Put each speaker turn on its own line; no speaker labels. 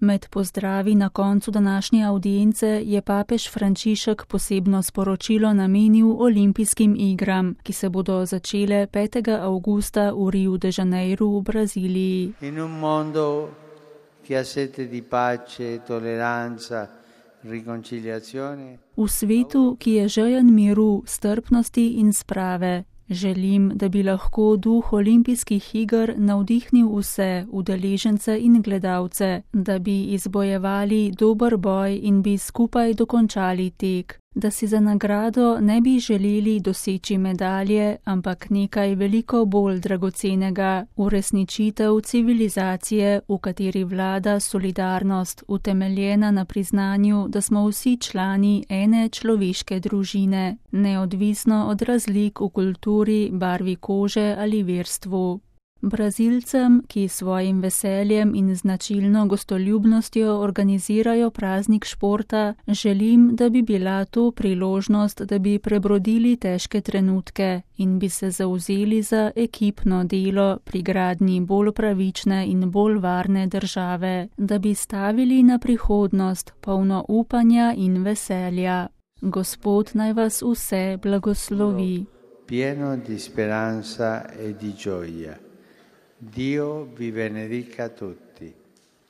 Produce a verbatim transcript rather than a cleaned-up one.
Med pozdravi na koncu današnje avdience je papež Frančišek posebno sporočilo namenil olimpijskim igram, ki se bodo začele petega avgusta v Riu de Janeiru v Braziliji.
In un mondo che ha sete di pace, tolleranza, riconciliazione.
V svetu, ki je žejen miru, strpnosti in sprave, želim, da bi lahko duh olimpijskih iger navdihnil vse udeležence in gledalce, da bi izbojevali dober boj in bi skupaj dokončali tek, da si za nagrado ne bi želeli doseči medalje, ampak nekaj veliko bolj dragocenega, uresničitev civilizacije, v kateri vlada solidarnost, utemeljena na priznanju, da smo vsi člani ene človeške družine, neodvisno od razlik v kulturi, barvi kože ali verstvu. Brazilcem, ki svojim veseljem in značilno gostoljubnostjo organizirajo praznik športa, želim, da bi bila to priložnost, da bi prebrodili težke trenutke in bi se zavzeli za ekipno delo pri gradnji bolj pravične in bolj varne države, da bi stavili na prihodnost polno upanja in veselja. Gospod naj vas vse blagoslovi.
Pieno di speranza e di gioia. Dio vi benedica tutti.